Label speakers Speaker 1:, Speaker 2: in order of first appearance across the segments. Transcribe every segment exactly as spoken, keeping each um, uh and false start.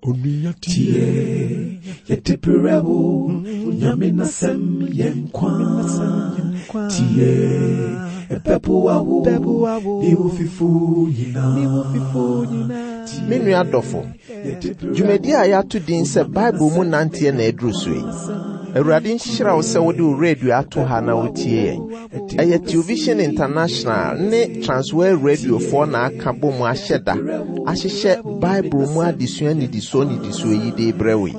Speaker 1: Tie, yɛde brɛ wo, Nyame n'asɛm yɛ nkwa. Tie, ɛbɛboa wo, ne wo fifo nyinaa.
Speaker 2: Me nua dɔfo, dwumadi a yɛato din sɛ Bible mu nanteɛ na aduru so yi. Awurade nhyira wo sɛ wode wo radio ato ha na wotie yɛn. Ɛyɛ Television International ne Transworld Radiofoɔ na aka bɔ mu ahyɛ da ahyehyɛ Bible mu adesua nnidisoɔ nnidisoɔ yi de brɛ wo yi.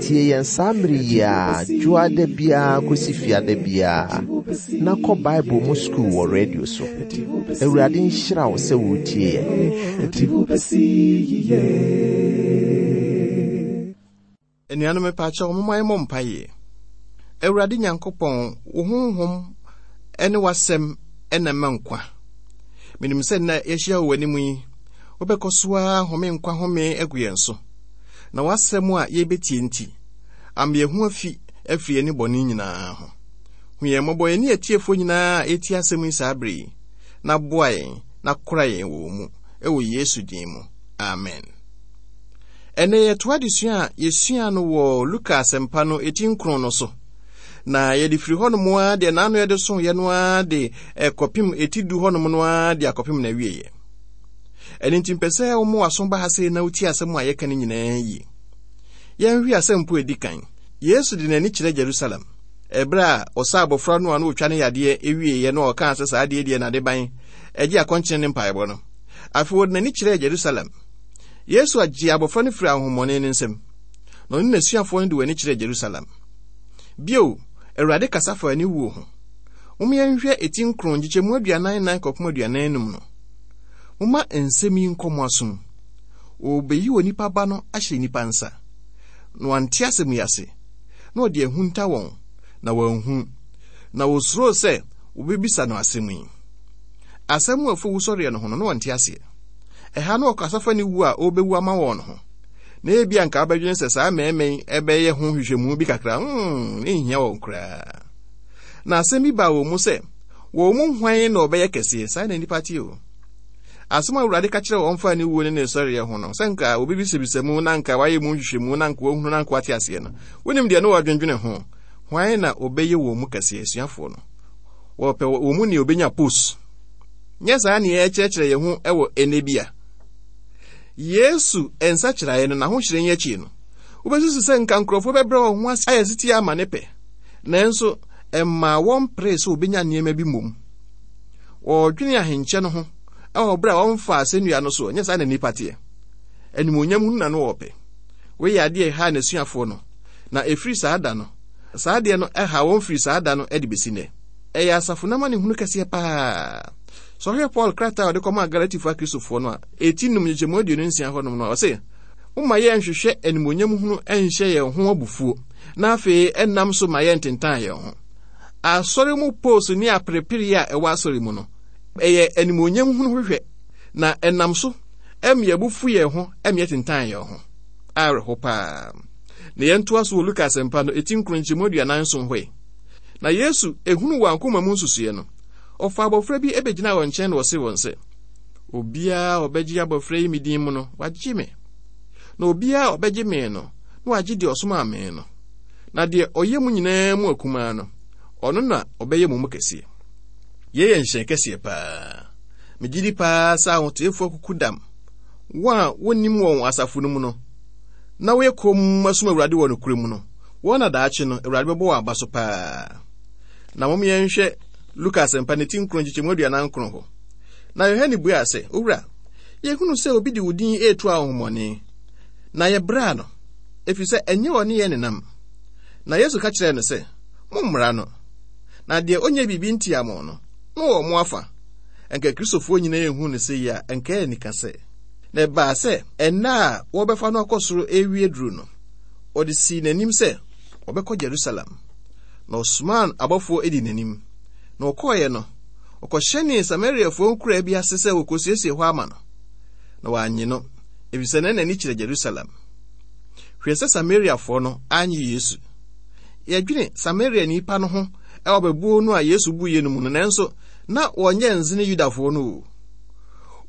Speaker 2: Tie yɛn saa mmere yi a dwoada biara kɔsi fiada biara na kɔ Bible mu sukuu wɔ radio so. Awurade nhyira wo sɛ wotie yɛn.
Speaker 1: Ɛde wo bɛsi yiye.
Speaker 3: Anuanom mepaakyɛw momma yɛmmɔ mpaeɛ. Awurade Nyankopɔn, wo honhom ne w'asɛm na ɛma nkwa. Menim sɛ nnɛ yɛahyia wɔ w'anim yi, wobɛkɔ so ara home nkwa home agu yɛn so. Na w'asɛm a yɛbɛtie nti, ama yɛn ho afi afiri yɛn bɔne nyinaa ho. Hu yɛn mmɔbɔ yɛne atiefoɔ nyinaa a ɛtie asɛm yi saa bere yi, na boa yɛn na kora yɛn wɔ wo mu, ɛwɔ Yesu din mu. Amen. Ɛnɛ yɛtoa adesua a yɛsua no wɔ Luka asɛmpa no eti nkron no so. Na yɛde firi hɔnom ara deɛ n'ano yɛde so yɛ no ara de ɛkɔpem eti du hɔnom no ara de akɔpem na awieɛ. Ɛno nti mpɛ sɛ wɔn w'aso ba ha sei na wotie asɛm a yɛka no nyinaa yie. Yɛnhwɛ asɛm po edi kan. Yesu de n'ani kyerɛ Jerusalem. Ɛberɛ a ɔsa abɔfra no a na otwa ne yadeɛ ewieɛ na ɔkaa sɛ saa adeɛ deɛ n'ade ban ɛgye akɔnkyene ne mpaebɔ no. Afei wɔde n'ani kyerɛɛ Jerusalem. Yesu agye abɔfra no firi ahonhommɔne no nsam. Na ɔne n'asuafoɔ no de wɔn ani kyerɛɛ Jerusalem. Bio, Awurade kasa fa ne wuo ho. Momma yɛnhwɛ eti nkron nkyekyɛmu aduanan nan kɔpem aduanan enum no. Momma nsɛm yi nkɔ mo asom. Wɔbɛyi onipa ba no ahyɛ nnipa nsa. Na wɔante asɛm yi ase. Na wɔde ahunta wɔn, na wɔanhu. Na wɔsuroo sɛ wɔbɛbisa no asɛm yi. Asɛm a ɛfa wusɔreɛ no ho no, na wɔnte aseɛ. Ɛha no ɔkasa fa ne wu a ɔrebɛwu ama wɔn no ho. Na ebi anka wobɛdwene sɛ saa mmarima yi ɛbɛyɛ ho nhwehwɛmu bi kakra, hmm, ɛnhia wɔn koraa. Na asɛm bi baa wɔn mu sɛ, wɔn mu hwan na ɔbɛyɛ kɛseɛ? Saa na nnipa te o. Asɛm a Awurade ka kyerɛ wɔn fa ne wuo ne ne sɔreɛ ho no, sɛ nka obi bisabisa mu na nka wayɛ mu nhwehwɛmu na nka wahunu na nka wate aseɛ no, wonim deɛ ne wɔadwendwene ho. Hwan na ɔbɛyɛ wɔn mu kɛseɛ? Asuafoɔ no. Wɔpɛ wɔn mu nea ɔbɛnya post. Nyɛ saa nea ɛkyerɛkyerɛ yɛn ho wɔ ɛnɛ bi a. Yesu nsakyeraeɛ no n'ahohyerɛn akyi no, wobɛsusu sɛ nka nkurɔfoɔ bɛbrɛ wɔn ho ase ayɛ setie ama ne pɛ. Nanso, ɛmaa wɔn peree sɛ wɔbɛnya nneɛma bi mmom. Wɔdwene ahenkyɛ no ho ɛwɔ berɛ a wɔmfa asɛnnua no so, ɛnyɛ saa na nnipa teɛ. Animuonyam hunu na no wɔpɛ. Wei yɛ adeɛ a ɛhaa n'asuafoɔ no. Na ɛfiri saa da no, saa adeɛ no ɛha wɔn firi saa da no de bɛsi nnɛ. Ɛyɛ asafo no amanehunu kɛseɛ paa. Sɛ ɔhwɛ Paul krataa a ɔde kɔmaa Galatifoɔ Akristofoɔ no a, eti num nkyekyɛmu aduonu nsia hɔnom no, ɔse, momma yɛnhwehwɛ animuonyam hunu nhyɛ yɛn ho abufuo, na afei ɛnam so ma yɛntentan yɛn ho. Asɔre mu post ne aperepere a ɛwɔ asɔre mu no, ɛyɛ animuonyam hunu hwehwɛ, na ɛnam so ɛma yɛabufu yɛn ho, ɛma yɛtentan yɛn ho. Awerɛho paa. Na yɛntoa so wɔ Luka asɛmpa no, eti nkron nkyɛmu aduanan nson hɔ yi. Na Yesu ehunu wɔn akoma mu nsusuiɛ no, ɔfa abɔfra bi ebɛgyina wɔn nkyɛn na ɔse wɔn sɛ, obiara a ɔbɛgye abɔfra yi me din mu no, wagye me. Na obiara a ɔbɛgye me no, na wagye deɛ ɔsomaa me no. Na deɛ ɔyɛ mu nyinaa mu akumaa no, ɔno na ɔbɛyɛ mo mu kɛseɛ. Yei yɛ nhyɛn kɛseɛ paa. Megye di paa sɛ ahoteefoɔ akuku dam, wɔn a wɔnnim wɔn asafo no mu no, na wɔyɛ komm asom Awurade wɔ nokorɛ mu no, wɔn na daakye no, Awurade bɛbɔ wɔn aba so paa. Na mom yɛnhwɛ Luka asɛmpa ne ti nkron nkyekyɛmu aduanan nkron hɔ. Na Yohane buaa sɛ, Owura, yɛhunu sɛ obi de wo din retu ahonhommɔne, na yɛbraa no, ɛfiri sɛ ɛnyɛ ɔne yɛn nenam. Na Yesu ka kyerɛɛ no sɛ, mommra no. Na deɛ ɔnyɛ biribi ntia mo no, na ɔwɔ mo afa. Ɛnka Kristofoɔ nyinaa ehu no sɛ yi a, ɛnka ɛyɛ nika sɛ. Na ɛbaa sɛ ɛnna a wɔbɛfa no akɔ soro ewie duru no, ɔde sii n'anim sɛ ɔbɛkɔ Jerusalem. Na ɔsomaa abɔfoɔ edi n'anim. Na ɔkɔeɛ no, ɔkɔhyɛnee Samariafoɔ nkuraa bi ase sɛ wɔkɔsiesie hɔ ama no. Na wɔannye no, efisɛ na n'ani kyerɛ Jerusalem. Hwɛ sɛ Samariafoɔ no annye Yesu. Yɛdwene Samariani pa no ho ɛwɔ bɛbuo no a Yesu buiɛ no mu no, nanso na wɔnyɛ nzene Yudafoɔ no o.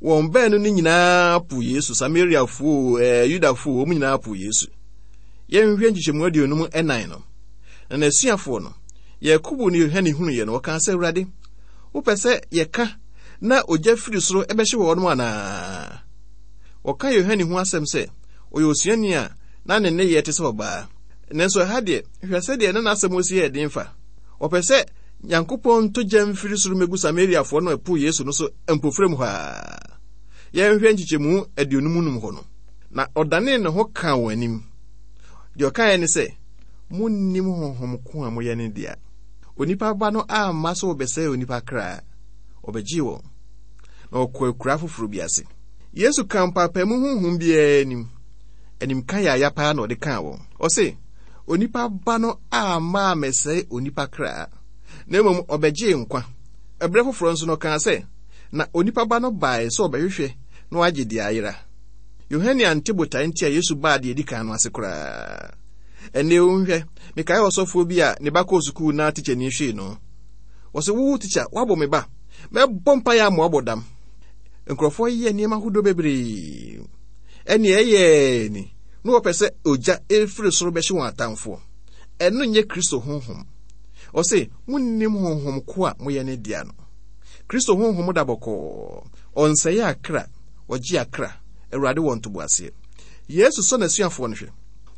Speaker 3: Wɔn baanu no nyinaa po Yesu, Samariafoɔ, ɛɛ Yudafoɔ, wɔn nyinaa po Yesu. Yɛnhwɛ nkyekyɛmu aduonum ɛnan no. Na n'asuafoɔ no, Yakobo ne Yohane hunuiɛ no, wɔkaa sɛ, Awurade, wopɛ sɛ yɛka na ogya firi soro ɛbɛhye wɔn anaa? Wɔka Yohane ho asɛm sɛ ɔyɛ osuani a na ne nneyɛɛ te sɛ ɔbaa. Nanso ɛha deɛ, hwɛ sɛdeɛ na n'asɛm si yɛ den fa. Ɔpɛ sɛ Nyankopɔn nto gya mfiri soro mmɛgu Samariafoɔ no ɛpo Yesu no so mpofrem hɔ a. Yɛnhwɛ nkyekyɛmu aduonum num hɔ no. Na ɔdanee ne ho kaa wɔn anim. Deɛ ɔkaeɛ ne sɛ, monnim honhom ko a moyɛ ne dea. Onipa ba no amma sɛ wɔbɛsɛe onipa kra, ɔbɛgyee wɔn. Na ɔkɔ akura foforɔ bi ase. Yesu ka mpaapaemu honhom biara anim. Animka yaya paa na ɔde kaa wɔn. Ɔse, onipa ba no amma ammɛsɛe onipa kra, na mmom ɔbɛgyee nkwa. Ɛberɛ foforɔ nso no ɔkaa sɛ, na onipa ba no bae sɛ ɔbɛhwehwɛ na wagye deɛ ayera. Yohane ante botae nti a Yesu baa deɛ edi kan no ase koraa. Ɛnnɛ nhwɛ, mekae ɔsɔfoɔ bi a ne ba kɔɔ sukuu na tikyani hwee no. Wɔsɛ wo tikya, woabɔ me ba. Mɛbɔ mpaeɛ ama woabɔ dam. Nkurɔfoɔ yɛ nneɛma ahodoɔ bebree. Ɛne ɛyɛ ni, na wɔpɛ sɛ ogya efiri soro bɛhye wɔn atamfoɔ. Ɛno nyɛ Kristo honhom. Ɔse, monnim honhom ko a moyɛ ne dea no. Kristo honhom da bɔkɔɔ. Ɔnsɛe akra, ɔgye akra. Awurade wɔ ntoboaseɛ. Yesu sɔ n'asuafoɔ no hwɛ.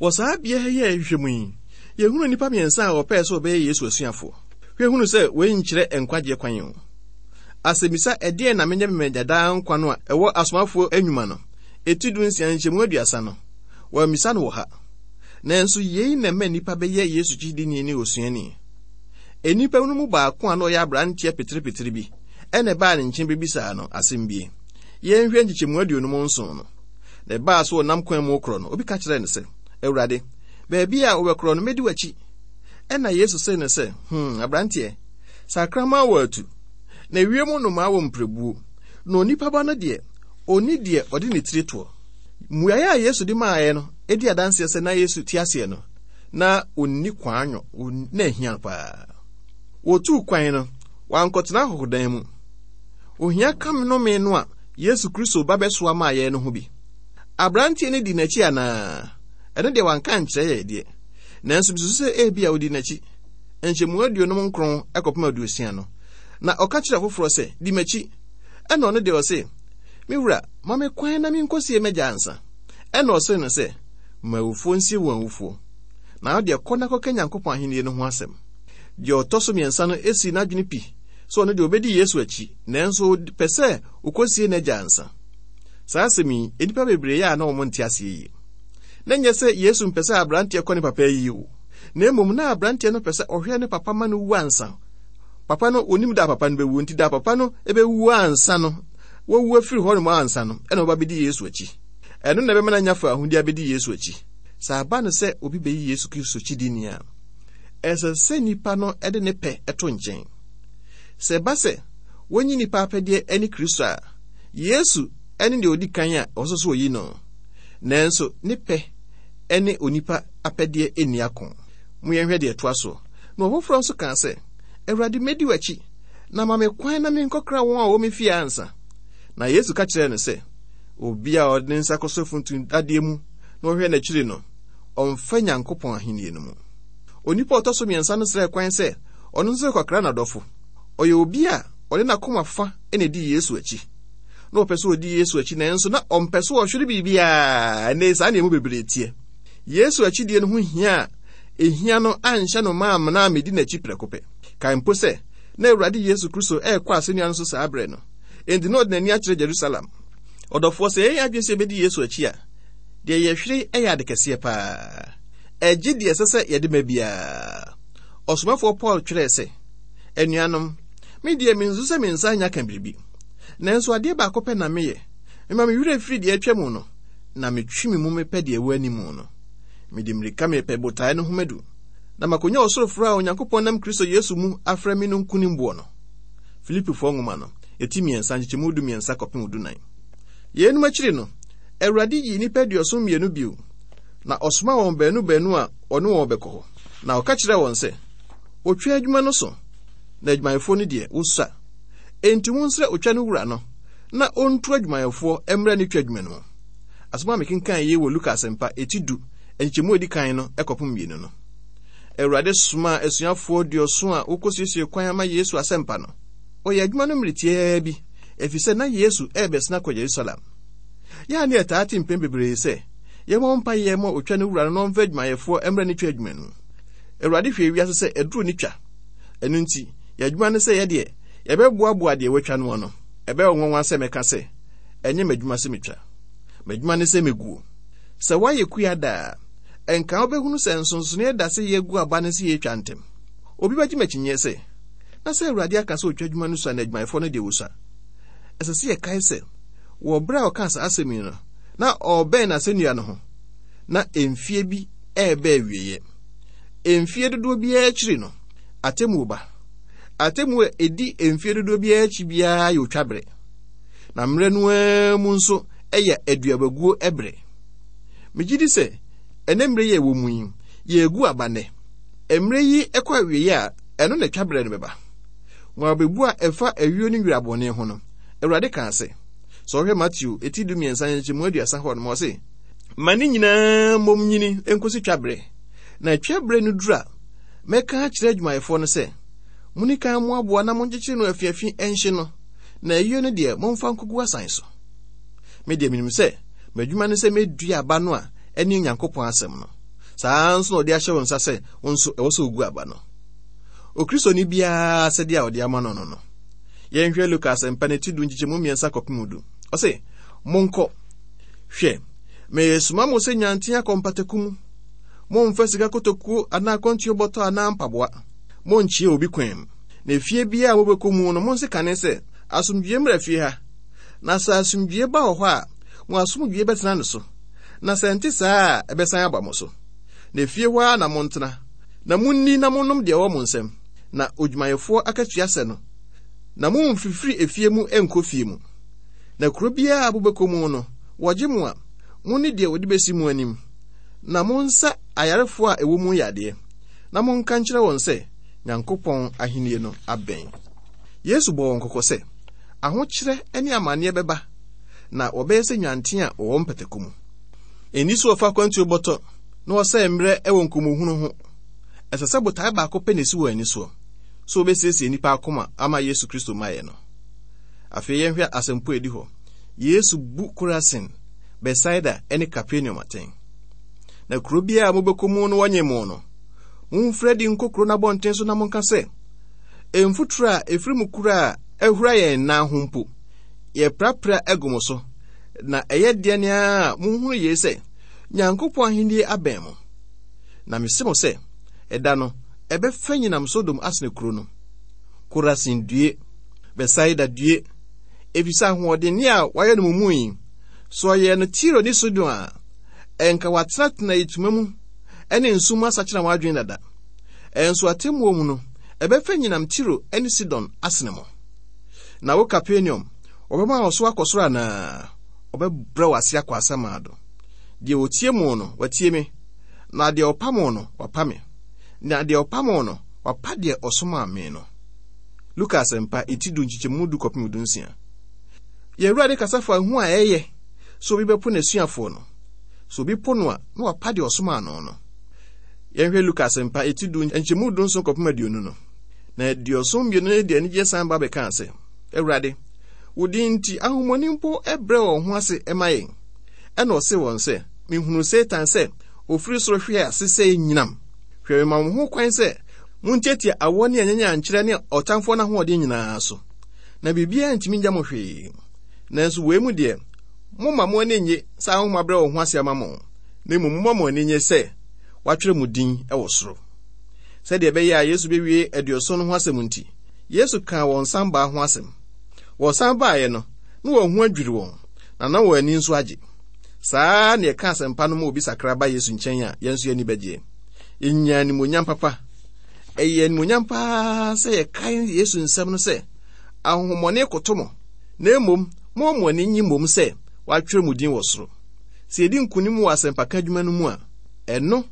Speaker 3: Wɔ saa bea ha yi a yɛhwehwɛ mu yi, yɛhunu nnipa mmiɛnsa a wɔpɛɛ sɛ wɔbɛyɛ Yesu asuafoɔ. Hwɛ hunu sɛ wei nkyerɛ nkwagyeɛ kwan o. Asɛmmisa ɛdeɛn na menyɛ memanya daa nkwa no a ɛwɔ asomafoɔ anwuma no, eti du nsia nkyɛmu aduasa no, wɔammisa no wɔ ha. Nanso yei na ɛma nnipa bɛyɛ Yesu kyidini ne osuani. Nnipa no mu baako a na ɔyɛ aberanteɛ peterepetere bi ɛna ɛbaa ne nkyɛn bɛbisaa no asɛm bi. Yɛnhwɛ nkyekyɛmu aduonum nson no. Na ɛbaa so ɔnam kwan mu korɔ no, obi ka kyerɛɛ no sɛ, Awurade, baabi a wobɛkorɔ no, mɛdi w'akyi. Ɛna Yesu see no sɛ, hmm, aberanteɛ, sakraman wɔ atu, na ewiem nnomaa wɔ mprɛbuo, na onipa ba no deɛ, ɔnni deɛ ɔde ne tiri toɔ. Mmuaeɛ a Yesu de maaeɛ no di adanseɛ sɛ na Yesu te aseɛ no, na ɔnni kwanwɔ, na ahia no paa. Wɔtuu kwan no, wankɔtena ahɔhodan mu. Ohia kam nnome no a Yesu Kristo ba bɛsoa maa yɛn no ho bi. Aberanteɛ no di n'akyi anaa? Ɛno deɛ wanka nkyerɛ yɛn deɛ. Nanso misusu sɛ ebia odi n'akyi. Nkyɛmu aduonum nkron kɔpem aduosia no. Na ɔka kyerɛ foforɔ sɛ, di m'akyi. Ɛna ɔno deɛ ɔse, me wura, ma me kwan na menkɔsie m'agya ansa. Ɛna ɔse no sɛ, ma awufoɔ nsie wɔn awufoɔ. Na wo deɛ kɔ na kɔka Nyankopɔn ahennie no ho asɛm. Deɛ ɔtɔ so mmiɛnsa no esi n'adwene pi sɛ ɔno deɛ ɔbɛdi Yesu akyi, nanso pɛ sɛ ɔkɔsie n'agya ansa. Saa asɛm yi, nnipa bebree yɛ a na wɔn nte aseɛ yie. Na nyɛ sɛ Yesu mpɛ sɛ aberanteɛ kɔ ne papa yie o, na mmom na aberanteɛ no pɛ sɛ ɔhwɛ ne papa ma no wu ansa. Papa no, onim da papa no bɛwu, nti da papa no bɛwu ansa no, wɔwu afiri hɔ nom ansa no, ɛna ɔba bɛdi Yesu akyi. Ɛno na ɛbɛma no anya fa ahodi abɛdi Yesu akyi. Sɛ aba no sɛ obi bɛyi Yesu Kristo kyidini a, ɛsɛ sɛ nipa no de ne pɛ to nkyɛn. Sɛ ɛba sɛ wɔnyi nipa apɛdeɛ ne Kristo a, Yesu ne deɛ ɔdi kan a ɔsɛ sɛ ɔyi no. Nanso ne pɛ ne onipa apɛdeɛ nni ako. Mo yɛnhwɛ deɛ ɛtoa soɔ. Na ɔfoforɔ nso kaa sɛ, Awurade, mɛdi w'akyi, na ma me kwan na menkɔkra wɔn a wɔwɔ me fie ansa. Na Yesu ka kyerɛɛ no sɛ, obi a ɔde ne nsa kɔsɔ funtum dadeɛ mu na ɔhwɛ n'akyiri no, ɔmfa Nyankopɔn ahennie no mu. Onipa a ɔtɔ so mmiɛnsa no srɛɛ kwan sɛ ɔno nso rekɔkra n'adɔfo. Ɔyɛ obi a ɔde n'akoma fa na edi Yesu akyi. Na ɔpɛ sɛ ɔdi Yesu akyi, nanso na ɔmpɛ sɛ ɔhwere biribiara. Ɛnnɛ saa nneɛma bebree teɛ. Yesu akyidie no ho hia a ehia no anhyɛ no ma amena ammedi n'akyi prɛko pɛ. Kae mpo sɛ na Awurade Yesu Kristo ɛrekɔ asennua no so saa berɛ no. Enti na ɔde n'ani akyerɛ Jerusalem. Ɔdɔfoɔ, sɛ yɛyɛ adwene sɛ yɛbɛdi Yesu akyi a, deɛ yɛhwere yɛ ade kɛseɛ paa. Ɛgye deɛ ɛsɛ sɛ yɛde ma biara. Ɔsomafoɔ Paul twerɛɛ sɛ, anuanom, me deɛ mensu sɛ me nsa anya ka biribi. Nanso adeɛ baako pɛ na meyɛ. Mema me werɛ firi deɛ atwa mu no, na metwe me mu mepɛ deɛ ɛwɔ anim no. Mede mmirika mepɛ botaeɛ no ho madu, na makonya ɔsoro frɛ a Onyankopɔn nam Kristo Yesu mu afrɛ me no nkonimboɔ no. Filipifoɔ nwoma no, eti mmiɛnsa, nkyekyɛmu du mmiɛnsa kɔpem du nan. Yeinom akyiri no, Awurade yii nnipa aduɔson mmienu bio, na ɔsoma wɔn baanu baanu a ɔne wɔn bɛkɔ hɔ. Na ɔka kyerɛɛ wɔn sɛ, otwa adwuma no so, na adwumayɛfoɔ no deɛ, wosua. Enti monsrɛ otwa no wura no, na ɔntu adwumayɛfoɔ mmra ne twa adwuma no mu. Asɛm a mekenkan yi wɔ Luka Asɛmpa eti du nkyɛmu a edi kan no kɔpem mmienu no. Awurade somaa asuafoɔ aduɔson a wokosiesie kwan ama Yesu asɛmpa no. Ɔyɛ adwuma no mmere tiaa bi, efisɛ na Yesu rebɛsena kɔ Yerusalem. Yɛa ne yɛtaa te mpɛn bebree sɛ, yɛmmɔ mpaeɛ ma otwa no wura no na ɔmfa adwumayɛfoɔ mmra ne twa adwuma no mu. Awurade hwɛ wiase sɛ aduru ne twa. Ɛno nti, yɛn adwuma ne sɛ yɛdeɛ, yɛbɛboaboa deɛ wɔatwa no ano. Ɛbɛyɛ nwanwa sɛ mɛka sɛ, ɛnyɛ m'adwuma sɛ metwa. M'adwuma ne sɛ meguo. Sɛ woayɛ kua daa, ɛnka wobɛhunu sɛ nsonsonoeɛ da sɛ yɛgu aba ne sɛ yɛtwa ntɛm. Obi bɛgye m'akyinnyeɛ sɛ, na sɛ Awurade aka sɛ otwa adwuma no sua na adwumayɛfoɔ no deɛ wɔsua. Ɛsɛ sɛ yɛkae sɛ, wɔ berɛ a ɔkaa saa asɛm yi no, na ɔrebɛn n'asɛnnua no ho, na mfie bi ɛrebɛ awieeɛ. Mfie dodoɔ biara akyiri no, atemmuo ba. Atemmuo a ɛdi mfie dodoɔ biara akyi biara yɛ otwa berɛ. Na mmerɛ no ara mu nso ɛyɛ aduabaguo berɛ. Megye di sɛ, ɛnɛ mmerɛ yi a ɛwɔ mu yi, yɛregu aba nnɛ. Mmerɛ yi kɔ awieeɛ a, ɛno na twa berɛ no bɛba. Wɔn abebu a ɛfa ayuo ne nwura bɔne ho no, Awurade kaa sɛ, sɛ ɔhwɛ Mateo eti du mmiɛnsa nkyɛmu aduasa hɔ nom, ɔse, ma ne nyinaa mmom nyini nkosi twa berɛ. Na twa berɛ no duru a, mɛka akyerɛ adwumayɛfoɔ no sɛ, monni kan mmoaboa na monkyekyere no afiafi nhye no, na ayuo no deɛ momfa nkogu asan so. Me deɛ menim sɛ, m'adwuma ne sɛ mɛdua aba no a ɛne Onyankopɔn asɛm no. Saa nso na ɔde ahyɛ wo nsa sɛ wo nso ɛwɔ sɛ ogu aba no. Okristoni biara sɛdeɛ a ɔde ama no no no. Yɛnhwɛ Luka Asɛmpa no ti du nkyekyɛmu mmiɛnsa kɔpem du. Ɔse, monkɔ. Hwɛ, meresoma mo sɛ nyanten akɔ mpataku mu. Mommfa sika kotokuo anaa akwantuo bɔtɔ anaa mpaboa. Monnkyea obi kwan mu. Na efie biara a mobɛkɔ mu no, monse kane sɛ, asomdwie mmra fie ha. Na sɛ asomdwie ba wɔ hɔ a, mo asomdwie bɛtena ne so. Na sɛ ɛnte saa a, ɛbɛsan aba mo so. Na efie hɔ ara na montena, na munni na monnom deɛ ɛwɔ mo nsam, na odwumayɛfoɔ akatua sɛ no. Na mommfifiri efie mu nkɔ fie mu. Na kuro biara a mobɛkɔ mu no, wɔgye mo a, monni deɛ wɔde bɛsi mo anim. Na monsa ayarefoɔ a ɛwɔ mu yadeɛ, na monka nkyerɛ wɔn sɛ, Nyankopɔn ahennie no abɛn. Yesu bɔɔ wɔn kɔkɔ sɛ, ahokyerɛ ne amanneɛ bɛba, na wɔbɛyɛ sɛ nwanten a wɔwɔ mpataku mu. Ɛnni so wɔfa akwantuo bɔtɔ na wɔsɛe mmerɛ wɔ nkɔmmɔhunu ho. Ɛsɛ sɛ botae baako pɛ na esi wɔn ani soɔ, sɛ wɔbɛsiesie nnipa akoma ama Yesu Kristo mmaeɛ no. Afei yɛnhwɛ asɛmpo a ɛdi hɔ. Yesu bu Korasin, Betsaida ne Kapernaum atɛn. Na kuro biara a mobɛkɔ mu no wɔnye mo no, momfiri adi nkɔ kuro no abɔnten so na monka sɛ, mfuturo a ɛfiri mu kura a ahura yɛn nan ho mpo, yɛprapra agu mo so. Na ɛyɛ deɛ ne ara a monhunu yei sɛ, Nyankopɔn ahennie abɛn mo. Na mese mo sɛ, ɛda no, ɛbɛfa nyinam Sodom asene kuro no. Korasin due, Betsaida due, efisɛ ahoɔdenne a wɔayɛ no mo mu yi, sɛ ɔyɛɛ no Tiro ne Sidon a, ɛnka wɔatenatena ituma mu ne nsu mu asakyera wɔn adwene dada. Ɛnso atemmuo mu no, ɛbɛfa nyinam Tiro ne Sidon asene mo. Na wo Kapernaum, wɔbɛma wo so akɔ soro anaa? Wɔbɛbrɛ wo ase akɔ asamando. Deɛ ɔtie mo no, watie me. Na deɛ ɔpa mo no, wapa me. Na deɛ ɔpa mo no, wapa deɛ ɔsomaa me no. Luka Asɛmpa, eti du nkyekyɛmu du kɔpem du nsia. Yɛn Awurade kasa fa ehu a ɛyɛ sɛ obi bɛpo n'asuafoɔ no. Sɛ obi po no a, na wapa deɛ ɔsomaa no no. Yɛnhwɛ Luka Asɛmpa, eti du nkyɛmu du nson kɔpem aduonu no. Na aduɔson mmienu no de anigyeɛ san ba bɛkaa sɛ, Awurade, wo din nti ahonhommɔne mpo brɛ wɔn ho ase ma yɛn. Ɛna ɔse wɔn sɛ, mehunuu Satan sɛ ofiri soro hwee ase sɛ nyinam. Hwɛ, mema mo ho kwan sɛ montiatia awɔ ne anyanyankyerɛ ne ɔtamfoɔ no ahoɔden nyinaa so, na biribiara ntumi ngya mo hwee. Nanso wei mu deɛ, momma mo ani nnye sɛ ahonhom abrɛ wɔn ho ase ama mo, na mmom momma mo ani nnye sɛ wɔatwerɛ mo din wɔ soro. Sɛdeɛ ɛbɛyɛ a Yesu bɛwie aduɔson no ho asɛm nti, Yesu kaa wɔn sanbaa ho asɛm. Wɔsan baeɛ no, na wɔn ho adwiri wɔn, na na wɔn ani nso agye. Saa na yɛka asɛmpa no ma obi sakra ba Yesu nkyɛn a, yɛn nso yɛn ani bɛgye. Yɛnya animuonyam papa. Ɛyɛ animuonyam paa sɛ yɛkae Yesu nsɛm no sɛ, ahonhommɔne koto mo, na mmom momma mo ani nnye mmom sɛ wɔatwerɛ mo din wɔ soro. Sɛ yɛdi nkonim wɔ asɛmpaka adwuma no mu a, ɛno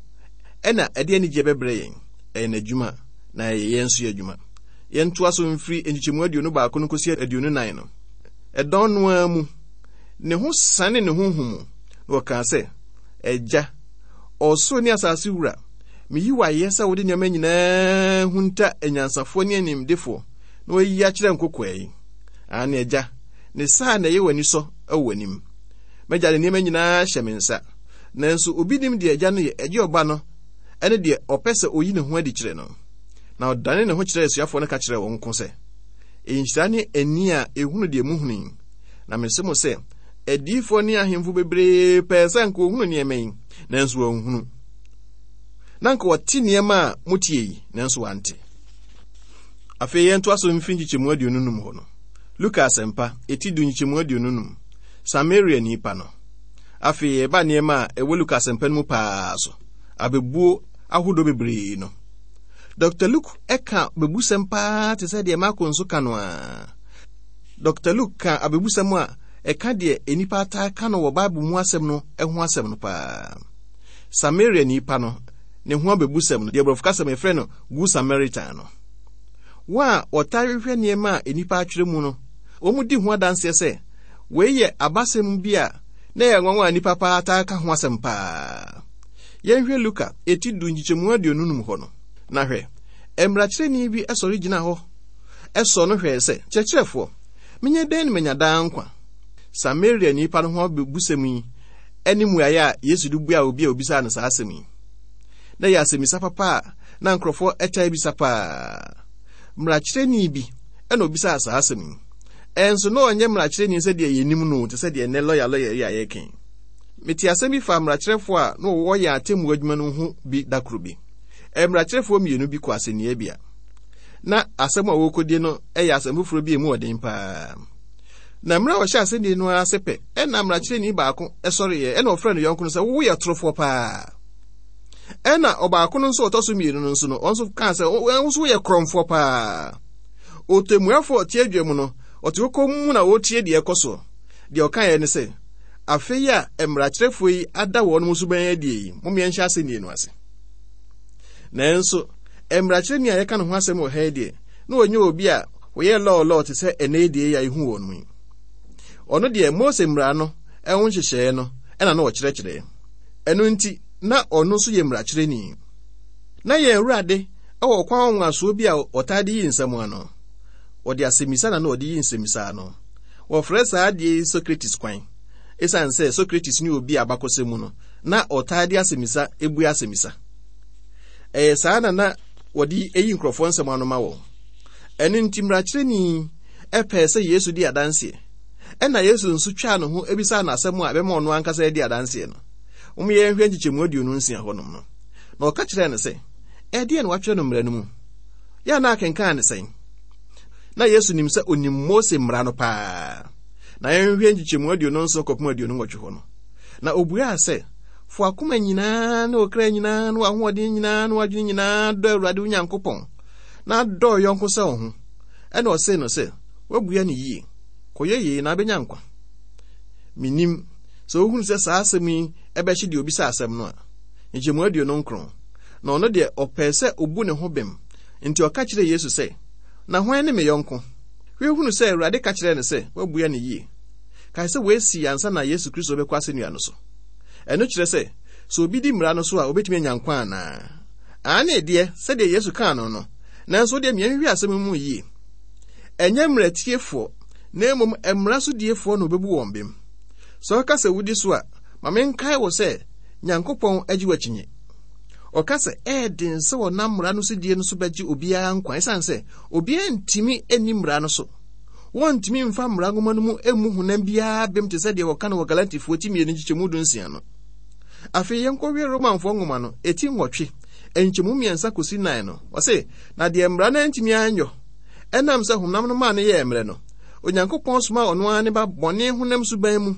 Speaker 3: ɛna ɛde anigyeɛ bɛbrɛ yɛn. Ɛyɛ n'adwuma, na ɛyɛ yɛn nso yɛ adwuma. Yɛntoa so mfiri nkyekyɛmu aduonu baako no kɔsi aduonu nan no. Ɛdɔn no ara mu, ne ho sane ne honhom mu, na ɔkaa sɛ, Agya, ɔsoro ne asase wura, meyi wo ayɛ sɛ wode nneɛma nyinaa hunta anyansafoɔ ne animdefoɔ na wayi akyerɛ nkokoaa yi. Aane, Agya, ne saa na ɛyɛ w'ani sɔ wɔ w'anim. M'agya de nneɛma nyinaa hyɛ me nsa. Nanso obi nim deɛ agya no yɛ, ɛgye ɔba no ɛne deɛ ɔpɛ sɛ oyi ne ho adi kyerɛ no. Na ɔdane ne ho kyerɛɛ asuafoɔ no ka kyerɛɛ wɔn nko sɛ, Nhyira ne ani a ehunu deɛ muhunu yi. Na mese mo sɛ, adiyifoɔ ne ahemfo bebree pɛɛ sɛ anka wɔhunu nneɛma yi, nanso wɔanhunu. Na anka wɔte nneɛma a motie yi, nanso wɔante. Afei yɛntoa so mfiri nkyekyɛmu aduonu num hɔ no. Luka Asɛmpa, eti du nkyekyɛmu aduonu num. Samaria nipa no. Afei yɛba nneɛma a ɛwɔ Luka Asɛmpa no mu paa so. Abebuo ahodoɔ bebree no. Dɔkta Luke ɛka abebusɛm paa te sɛ deɛ Marko nso ka no a. Dɔkta Luke ka abebusɛm a ɛka deɛ nnipa ataa ka no wɔ Bible mu asɛm no ho asɛm no paa. Samaria nipa no, ne ho abebusɛm no, deɛ borɔfo kasa mu yɛfrɛ no Good Samaritan no. Wɔn a wɔtaa hwehwɛ nneɛma a nnipa atwerɛ mu no, wɔn di ho adanseɛ sɛ wei yɛ abasɛm bi a na ɛyɛ nwanwa a nnipa paa taa ka ho asɛm paa. Yɛnhwɛ Luka eti du nkyekyɛmu aduonu num hɔ no. Na hwɛ, mmarakyerɛni bi sɔre gyina hɔ ɛsɔ no hwɛɛ sɛ, Kyerɛkyerɛfoɔ, menyɛ dɛn na manya daa nkwa? Samaria nipa no ho abebusɛm yi ne mmuaeɛ a Yesu de buaa obi a obisaa no saa asɛm yi. Na ɛyɛ asɛmmisa papa a na nkurɔfoɔ taa bisa paa. Mmarakyerɛni bi ɛna obisaa saa asɛm yi. Ɛnso na ɔnyɛ mmarakyerɛni sɛdeɛ yɛnim no te sɛ deɛ nnɛ lɔya lɔya yi a yɛreka yi. Mete asɛm bi fa mmarakyerɛfoɔ a na wɔwɔ yɛn atemmuo adwuma no ho bi da koro bi. Mmarakyerɛfoɔ mmienu bi kɔ asɛnniiɛ Na asɛm a wɔrekɔdie no yɛ asɛm foforɔ bi a emu ɔden paa. Na mmerɛ a wɔhyɛ asɛnnie no ase pɛ, ɛna mmarakyerɛni baako sɔreeɛ, ɛna ɔfrɛ no yɔnko no sɛ, woyɛ torofoɔ paa. Ɛna ɔbaako no nso ɔtɔ so mmienu no nso no, ɔno nso kaa sɛ, wo nso woyɛ korɔmfoɔ paa. Ɔtɛmmuafoɔ a ɔte adwa mu no, ɔte hɔ komm na ɔretie deɛ ɛkɔ soɔ. Deɛ ɔkaeɛ ne sɛ, afei a mmarakyerɛfoɔ yi ada wɔn suban adie yi, mom yɛnhyɛ asɛnnie no ase. Nanso, mmarakyerɛni a yɛka ne ho asɛm wɔ ha yi deɛ, na ɔnyɛ obi a wɔyɛ lɔɔlɔɔ te sɛ ɛnɛ deɛ yi a yɛhu wɔn mu yi. Ɔno deɛ, Mose mmara no ɛho nhyehyɛeɛ no ɛna na ɔkyerɛkyerɛ. Ɛno nti, na ɔno nso yɛ mmarakyerɛni. Na yɛn Awurade ɛwɔ ɔkwan nwanwasoɔ bi a ɔtaa de yi nsɛm ano. Ɔde asɛmmisa na na ɔde yi nsɛmmisa ano. Wɔfrɛ saa adeɛ yi Socrates kwan. Esiane sɛ Socrates ne obi a abakɔsɛm mu no, na ɔtaa de asɛmmisa ebue asɛmmisa. Ɛyɛ saa na na wɔde eyi nkurɔfoɔ nsɛm ano ma wɔn. Ɛno nti mmarakyerɛni ɛpɛɛ sɛ Yesu di adanseɛ. Ɛna Yesu nso twaa ne ho ebisaa no asɛm a ɛbɛma ɔno ankasa adi adanseɛ no. Wɔn yɛn hwɛ nkyekyɛmu aduonu nsia hɔnom no. Na ɔka kyerɛɛ no sɛ, ɛdeɛn na wɔatwerɛ no mmara no mu? Yɛ na akenkan ne sɛn? Na Yesu nim sɛ onim Mose mmara no paa. Na yɛnhwɛ nkyekyɛmu aduonu nson kɔpem aduonu nwɔtwe hɔ no. Na obuaa sɛ, Fa w'akoma nyinaa ne wo kra nyinaa ne w'ahoɔden nyinaa ne w'adwene nyinaa dɔ Awurade wo Nyankopɔn, na dɔ wo yɔnko sɛ wo ho. Ɛna ɔsee no sɛ, woabua no yie. Kɔyɛ yei na abɛnya nkwa. Menim sɛ wohunu sɛ saa asɛm yi ɛbɛhye deɛ obisa asɛm no a. Nkyɛmu aduonu nkron. Na ɔno deɛ ɔpɛɛ sɛ obu ne ho bem. Nti ɔka kyerɛɛ Yesu sɛ, Na hwan ne me yɔnko? Hwɛ hunu sɛ Awurade ka kyerɛɛ no sɛ, woabua no yie. Kae sɛ woasi ansa na Yesu Kristo bɛkɔ asɛnnua no so. Ɛno kyerɛ sɛ, sɛ obi di mmara no so a, obetumi anya nkwa anaa? Aane deɛ, sɛdeɛ Yesu kaa no no. Nanso deɛ mmiɛnhwehwɛ asɛm mu yie. Ɛnyɛ mmaratiefoɔ, na mmom mmara so diefoɔ na obebu wɔn bem. Sɛ ɔka sɛ wodi so a, ma menkae wo sɛ Nyankopɔn agye w'akyinye. Ɔka sɛ ɛyɛ den sɛ wɔnam mmara no so die no so bɛgye obiara nkwa ɛsiane sɛ obiara ntumi nni mmara no so. Wɔntumi mfa mmara nwoma no mu mmu honam biara bem te sɛ deɛ wɔka no wɔ Galatifoɔ ti mmienu nkyekyɛmu du nsia no. Afei yɛnkɔhwɛ Romanfoɔ nwoma no, eti nwɔtwe, nkyɛmu mmiɛnsa kɔsi nan no. Ɔse, na deɛ mmara no antumi anyɔ, ɛnam sɛ honam no maa no yɛɛ mmerɛ no, Onyankopɔn somaa ɔno ara ne ba bɔne honam suban mu,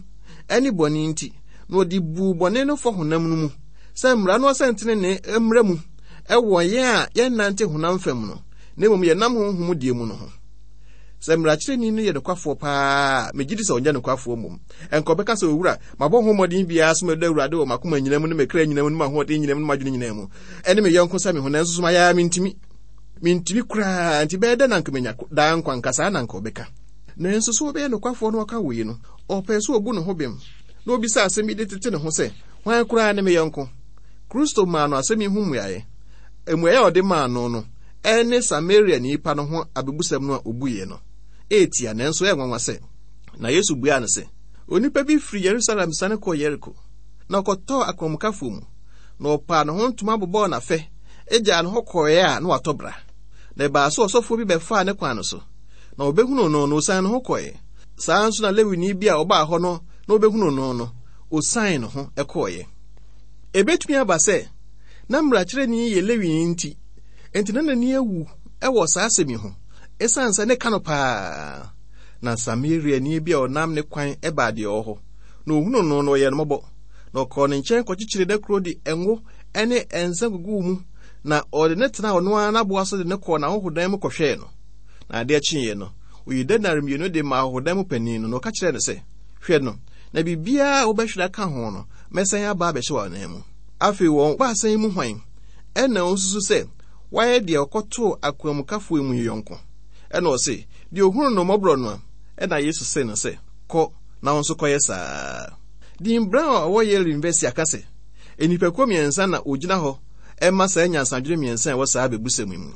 Speaker 3: ɛne bɔne nti, na ɔde buu bɔne no fɔ honam no mu, sɛ mmara no asɛntenenee mmra mu ɛwɔ yɛn a yɛnnante honam fam no, na mmom yɛnam honhom deɛ mu no ho. Sɛ mmarakyerɛni no yɛ nokwafoɔ paa, megye di sɛ ɔnyɛ nokwafoɔ mmom. Ɛnka ɔbɛka sɛ, owura, mabɔ ho mmɔden biara so mɛdɔ Awurade wɔ m'akoma nyinaa mu ne me kra nyinaa mu ne m'ahoɔden nyinaa mu ne m'adwene nyinaa mu, ɛne me yɔnko sɛ me ho, nanso so mayɛ a mentumi. Mentumi koraa, nti bɛyɛ dɛ na anka menya daa nkwa, nka saa na anka ɔbɛka. Nanso sɛ wɔbɛyɛ nokwafoɔ no ɔka wei no, ɔpɛɛ sɛ obu ne ho bem na obisa asɛm bi de tete ne ho sɛ, hwan koraa ne me yɔnko? Kristo maa no asɛm yi ho mmuaeɛ. Mmuaeɛ a ɔde maa no no ɛne Samaria nipa no ho abebusɛm no a obuiɛ no. Etia nanso ɛyɛ nwanwa sɛ, na Yesu buaa no sɛ, onipa bi firi Yerusalem sane kɔɔ Yeriko, na ɔkɔtɔɔ akwanmukafoɔ mu, na ɔpaa ne ho ntoma bobɔɔ n'afɛ, agyaa ne hɔ kɔeɛ a na watɔ bra. Na ɛbaa sɛ ɔsɔfoɔ bi bɛfaa ne kwan no so, na ɔbɛhunuu no no osian ne ho kɔeɛ. Saa nso na Lewini bi a ɔbaa hɔ no na ɔbɛhunuu no no, osian ne ho kɔeɛ. Ebetumi aba sɛ na mmarakyerɛni yɛ Lewini nti, enti na n'ani awu wɔ saa asɛm yi ho, esiane sɛ ne ka no paa. Na Samariani bi a ɔnam ne kwan baa deɛ ɔwɔ hɔ, na ohunuu no no ɔyɛɛ no mmɔbɔ. Na ɔkɔɔ ne nkyɛn kɔkyekyeree n'akuro de ngo ne nsa guguu mu, na ɔde ne tenaa ɔno ara n'aboa so de ne kɔɔ n'ahɔhodan mu kɔhwɛɛ no. Na adeɛ kyeeɛ no, oyii denare mmienu de maa ahɔhodan mu panin no, na ɔka kyerɛɛ no sɛ, hwɛ no, na biribiara a wobɛhwere aka ho no, mɛsan aba abɛhyɛ w'anan mu. Afei wɔn baasa yi mu hwan ɛna osusu sɛ wayɛ deɛ ɔkɔtoo akwanmukafoɔ mu yɔnko? Ɛna ɔse, deɛ ohunu no mmɔborɔ no a, ɛna Yesu se no sɛ, kɔ na wo nso kɔyɛ saa. Dean Brown a ɔwɔ Yale University aka sɛ, nnipakuo mmiɛnsa na ogyina hɔ ɛma saa nyansadwene mmiɛnsa a ɛwɔ saa abebusɛm yi mu.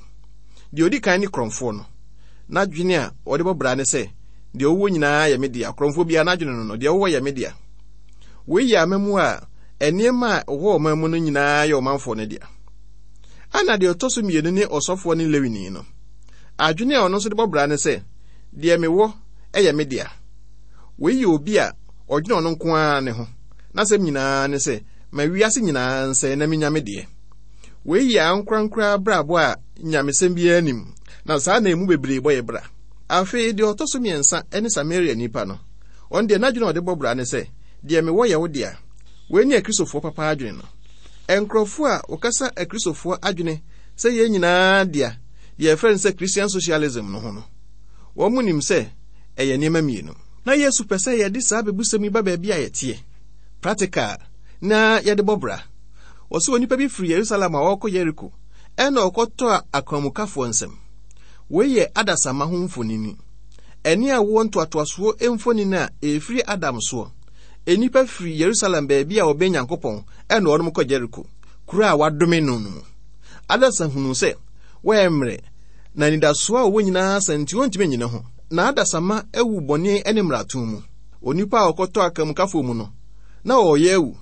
Speaker 3: Deɛ odi kan ne korɔmfoɔ no. N'adwene a ɔde bɔ bra ne sɛ, deɛ ɔwɔ nyinaa yɛ me dea. Korɔmfoɔ biara n'adwene no no, deɛ ɔwɔ yɛ me dea. Wei yɛ amamu a nneɛma a ɛwɔ ɔman mu no nyinaa yɛ ɔmanfoɔ no dea. Ana deɛ ɔtɔ so mmienu ne ɔsɔfoɔ ne Lewini no. Adwene a ɔno nso de bɔ bra ne sɛ, deɛ mewɔ yɛ me dea. Wei yɛ obi a ɔdwene ɔno nko ara ne ho. N'asɛm nyinaa ne sɛ, ma wiase nyinaa nsɛe na menya me deɛ. Wei yɛ ankorankora abrabɔ a nyamesɛm biara nim, na saa na emu bebree bɔ yɛ bra. Afei deɛ ɔtɔ so mmiɛnsa ne Samaria nipa no. Ɔno deɛ n'adwene a ɔde bɔ bra ne sɛ, deɛ mewɔ yɛ wo dea. Wei ne Akristofoɔ papa adwene no. Nkurɔfoɔ a wɔkasa Akristofoɔ adwene sɛ yɛn nyinaa dea, deɛ yɛfrɛ no sɛ Christian socialism no ho no, wɔn mu nim sɛ ɛyɛ nneɛma mmienu. Na Yesu pɛ sɛ yɛde saa abebusɛm yi ba baabi a yɛteɛ, practical, na yɛde bɔ bra. Wɔsɛ onipa bi firi Yerusalem a ɔrekɔ Yeriko, ɛna ɔkɔtɔɔ akwanmukafoɔ nsam. Wei yɛ adasamma ho mfonini. Ɛne awoɔ ntoatoasoɔ mfonini a ɛfiri Adam soɔ. Nnipa firi Yerusalem baabi a wɔbɛn Nyankopɔn ɛna wɔnom kɔ Jeriko, kuro a wadome no no mu. Adasa hunuu sɛ wɔyɛ mmerɛ, na anidasoɔ a wɔwɔ nyinaa sa nti wɔntumi nnyina ho. Na adasamma awu bɔne ne mmarato mu. Onipa a ɔkɔtɔ akamkafoɔ mu no, na ɔreyɛ awu.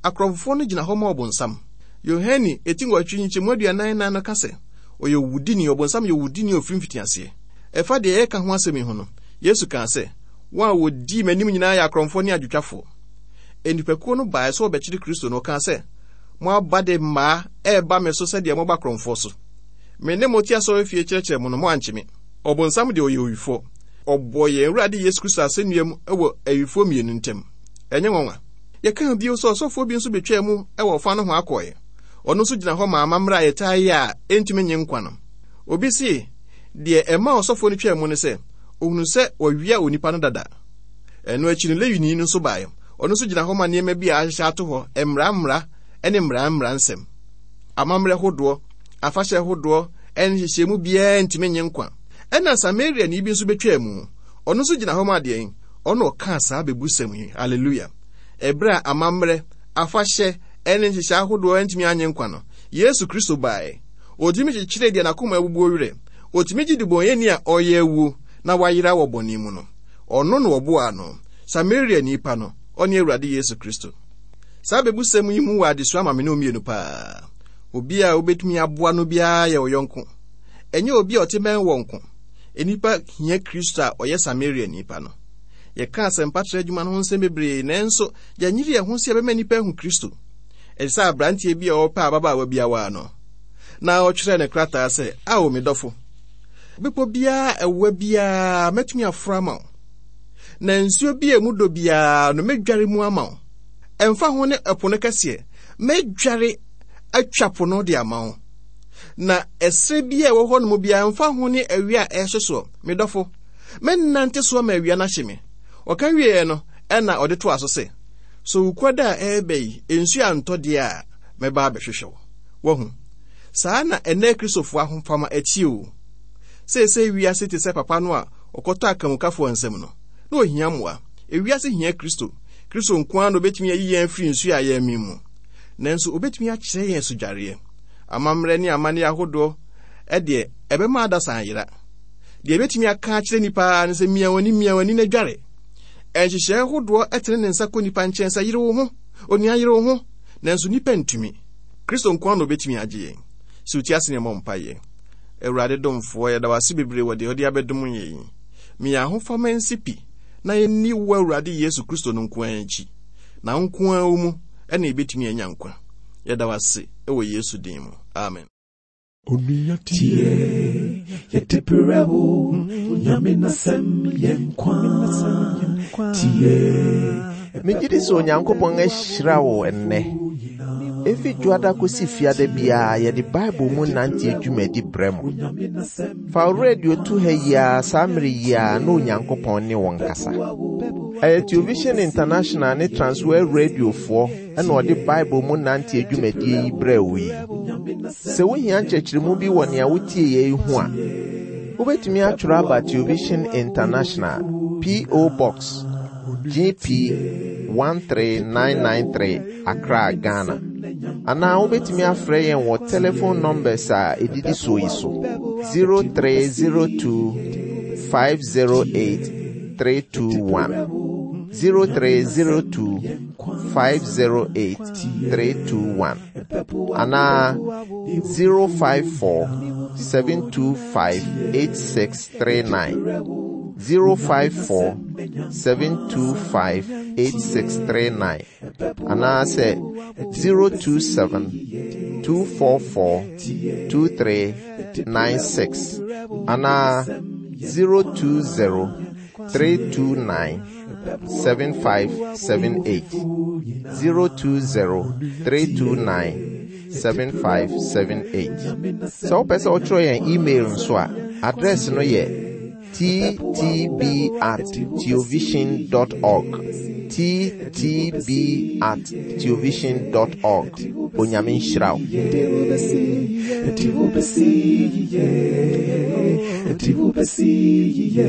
Speaker 3: Akorɔmfoɔ no gyina hɔ ma ɔbonsam. Yohane eti nwɔtwe nkyɛmu aduanan nan no ka sɛ, ɔyɛ owudini, ɔbonsam yɛ owudini a ofiri mfitiaseɛ. Ɛfa deɛ yɛka ho asɛm yi ho no, Yesu kaa sɛ, wɔn a wɔdii m'anim nyinaa yɛ akorɔmfoɔ ne adwotwafoɔ. Nnipakuo no baeɛ sɛ wɔbɛkyere Kristo no, ɔkaa sɛ, mo aba de mmaa ɛreba me so sɛdeɛ moba korɔmfoɔ so. Me ne mo te asɔrefie kyerɛkyerɛ mo no, moankye me. Ɔbonsam deɛ ɔyɛ owifoɔ. Ɔbɔ yɛn Awurade Yesu Kristo asɛnnua mu wɔ awifoɔ mmienu ntam. Ɛnyɛ nwanwa. Yɛkaa bio sɛ ɔsɔfoɔ bi nso betwaa mu wɔ ɔfa no ho akɔe. Ɔno nso gyina hɔ ma amammerɛ a yɛtaa yɛ a ɛntumi nye nkwa no. Obi se, deɛ ɛma ɔsɔfoɔ no twaa mu ne sɛ, ohunu sɛ wɔawia onipa no dada. Ɛno akyi no, Lewini no nso baeɛ. Ɔno nso gyina hɔ ma nneɛma bi a ahyehyɛ ato hɔ, mmara mmara ne mmara mmara nsɛm. Amammerɛ hodoɔ, afahyɛ hodoɔ, ne nhyehyɛmu biara ntumi nye nkwa. Ɛna Samariani bi nso betwaa mu. Ɔno nso gyina hɔ ma adeɛn? Ɔno ɔkaa saa bebusɛm yi. Hallelujah. Ɛberɛ a amammerɛ, afahyɛ, ne nhyehyɛ ahodoɔ ntumi anye nkwa no, Yesu Kristo baeɛ. Ɔtumi kyekyeree deɛ n'akoma abubuo werɛ. Ɔtumi gye debɔnyɛni a ɔreyɛ awuo na wayera wɔ bɔne mu no. Ɔno na ɔboaa no. Samaria nipa no, ɔne Awurade Yesu Kristo. Saa bebusɛm yi mu wɔ adesua ma me ne mmienu paa. Obi a wobɛtumi aboa no biara yɛ wo yɔnko. Ɛnyɛ obi a ɔte bɛn wɔ nko. Nnipa hia Kristo a ɔyɛ Samaria nipa no. Yɛka asɛmpatrɛ adwuma no ho nsɛm bebree, nanso yɛnyere yɛn ho sɛ yɛbɛma nnipa ahu Kristo. Ɛte sɛ aberanteɛ bi a ɔrepɛ ababaawa bi awaa no, na ɔtwerɛɛ ne krataa sɛ, Ao me dɔfo, bepɔ biara ɛwoa biara mɛtumi aforo ama wo, na nsuo bi a emu dɔ biara no mɛdware mu ama wo. Ɛmfa ho ne ɛpo no kɛseɛ, mɛdware atwa po no de ama wo. Na ɛserɛ bi a ɛwɔ hɔ nom biara, ɛmfa ho ne awia a ɛrehye soɔ, me dɔfo, mɛnante so ama awia no ahye me. Ɔka wieɛ no, ɛna ɔde toa so sɛ, so wukuada a ɛreba yi, nsuo antɔ deɛ a, mɛba abɛhwehwɛ wo. Wahu? Saa na ɛnnɛ Kristofoɔ ahofama akyi o. Seesei wiase te sɛ papa no a Ɔkɔtɔ akamukafoɔ nsɛm no, na ohia mmoa. Ewiase hia Kristo. Kristo nko ara na obetumi ayi yɛn afiri nsu a yɛremem mu. Nanso obetumi akyerɛ yɛn sodwareɛ. Amammerɛ ne amanneɛ ahodoɔ ɛdeɛ ɛbɛma adasa ayera. Deɛ ebetumi aka akyerɛ nnipa ara ne sɛ mia w'ani mia w'ani na dware. Nhyehyɛe ahodoɔ ɛtene ne nsa kɔ nnipa nkyɛn sɛ yere wo ho, onua yere wo ho, nanso nnipa ntumi. Kristo nko ara na obetumi agye yɛn. Sɛ otie ase ne ɛmmɔ mpaeɛ. Awurade domfoɔ, yɛda wo ase bebree wɔ deɛ ɔde abɛdom yɛn yi. Meyɛ ahofama nsi pi na yɛnni wo Awurade Yesu Kristo no nko ara akyi. Na wo nko ara wo mu ɛna yɛbɛtumi anya nkwa. Yɛda wo ase ɛwɔ Yesu din mu. Amen.
Speaker 1: Onua tie, yɛde brɛ wo, Nyame n'asɛm yɛ nkwa. Tie,
Speaker 2: Megye di sɛ Onyankopɔn ahyira wo ɛnnɛ. Efi dwoada kosi fiada biara yɛde Bible mu nante dwumadi brɛ mo. Fa wo radio to ha yi ara saa mmere yi ara na Onyankopɔn ne wo nkasa. Ɛyɛ Television International ne Transworld Radiofoɔ ɛna ɔde Bible mu nante dwumadie yi brɛ wo yi. Sɛ wohia nkyerɛkyerɛmu bi wɔ nea wotie yɛ yi ho a, wobɛtumi atwerɛ aba Television International, P O. Box G P one three nine nine three, Accra, Ghana. Anaa wobɛtumi afrɛ yɛn wɔ telephone numbers a ɛdidi soɔ yi so: zero three zero two five zero eight three two one, zero three zero two five zero eight three two one, anaa zero five four seven two five eight six three nine, zero five four seven two five eight six three nine, anaasɛ zero two seven two four four two three nine six, anaa zero two zero three two nine seven five seven eight, zero two zero three two nine seven five seven eight. Sɛ wopɛ sɛ wotwerɛ yɛn email nso a, address no yɛ T T B at theovision dot org, T T B at theovision dot org. Onyame nhyira wo.
Speaker 1: Yɛde wo bɛsi, yɛde wo bɛsi yie, yɛde wo bɛsi yie.